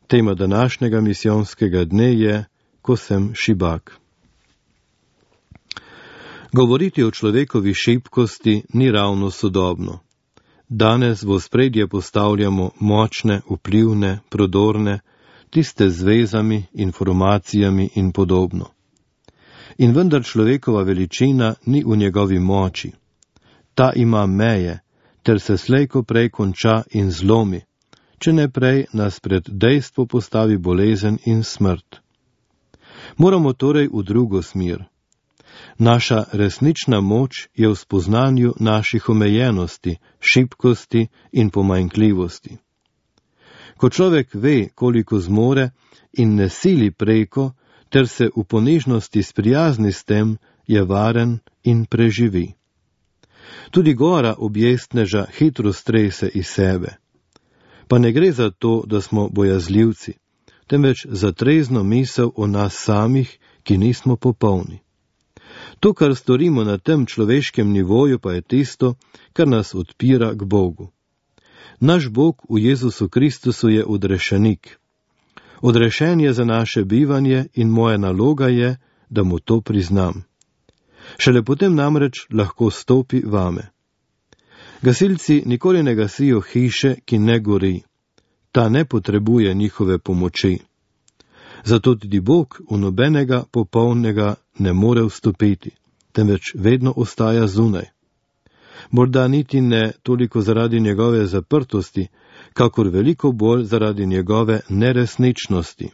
Tema današnjega misijonskega dne je Ko sem šibak. Govoriti o človekovi šibkosti ni ravno sodobno. Danes v ospredje postavljamo močne, vplivne, prodorne, tiste z vezami, informacijami in podobno. In vendar človekova veličina ni v njegovi moči. Ta ima meje, ter se slejko prej konča in zlomi, če ne prej nas pred dejstvo postavi bolezen in smrt. Moramo torej v drugo smer. Naša resnična moč je v spoznanju naših omejenosti, šibkosti in pomanjkljivosti. Ko človek ve, koliko zmore in ne sili preko, ter se v ponižnosti sprijazni s tem, je varen in preživi. Tudi gora objestneža hitro strese iz sebe. Pa ne gre za to, da smo bojazljivci, temveč za trezno misel o nas samih, ki nismo popolni. To, kar storimo na tem človeškem nivoju, pa je tisto, kar nas odpira k Bogu. Naš Bog v Jezusu Kristusu je odrešenik. Odrešen je za naše bivanje in moja naloga je, da mu to priznam. Šele potem namreč lahko stopi vame. Gasilci nikoli ne gasijo hiše, ki ne gori. Ta ne potrebuje njihove pomoči. Zato tudi Bog v nobenega popolnega ne more vstopiti, temveč vedno ostaja zunaj. Morda niti ne toliko zaradi njegove zaprtosti, kakor veliko bolj zaradi njegove neresničnosti.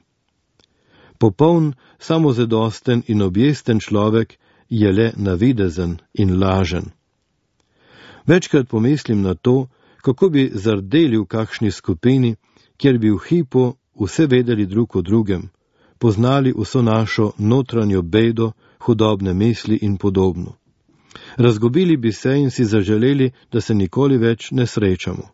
Popoln, samozadosten in objesten človek je le navidezen in lažen. Večkrat pomislim na to, kako bi zardeli v kakšni skupini, kjer bi v hipu vse vedeli drug o drugem, poznali vso našo notranjo bedo, hudobne misli in podobno. Razgubili bi se in si zaželeli, da se nikoli več ne srečamo.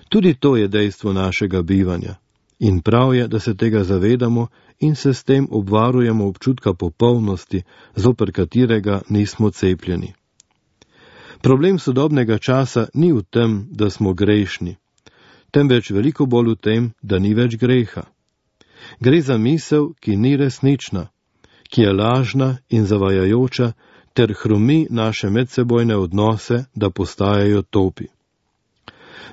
Tudi to je dejstvo našega bivanja in prav je, da se tega zavedamo in se s tem obvarujemo občutka popolnosti, zoper katerega nismo cepljeni. Problem sodobnega časa ni v tem, da smo grešni, temveč veliko bolj v tem, da ni več greha. Gre za misel, ki ni resnična, ki je lažna in zavajajoča, ter hromi naše medsebojne odnose, da postajajo topi.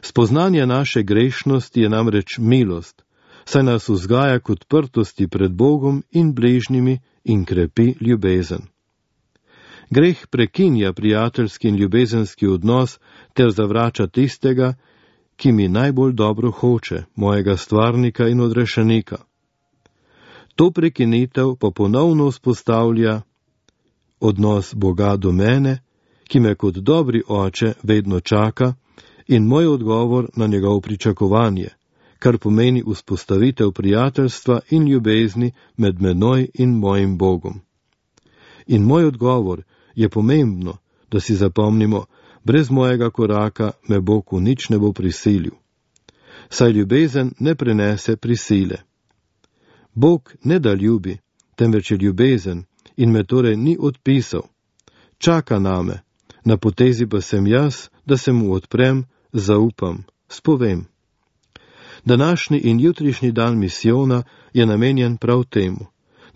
Spoznanje naše grešnosti je namreč milost, saj nas vzgaja k odprtosti pred Bogom in bližnjimi in krepi ljubezen. Greh prekinja prijateljski in ljubezenski odnos ter zavrača tistega, ki mi najbolj dobro hoče, mojega stvarnika in odrešenika. To prekinitev pa ponovno vzpostavlja odnos Boga do mene, ki me kot dobri oče vedno čaka, in moj odgovor na njegovo pričakovanje, kar pomeni vzpostavitev prijateljstva in ljubezni med menoj in mojim Bogom. In moj odgovor je pomembno, da si zapomnimo, brez mojega koraka me Bog v nič ne bo prisilil. Saj ljubezen ne prenese prisile. Bog ne da ljubi, temveč je ljubezen in me torej ni odpisal. Čaka name, na potezi pa sem jaz, da se mu odprem, zaupam, spovem. Današnji in jutrišnji dan misijona je namenjen prav temu,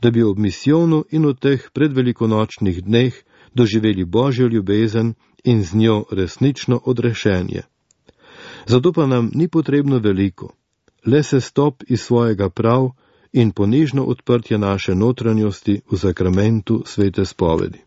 da bi ob misijonu in v teh predvelikonočnih dneh doživeli Božjo ljubezen in z njo resnično odrešenje. Zato pa nam ni potrebno veliko, le se stop iz svojega prav in ponižno odprtje naše notranjosti v sakramentu svete spovedi.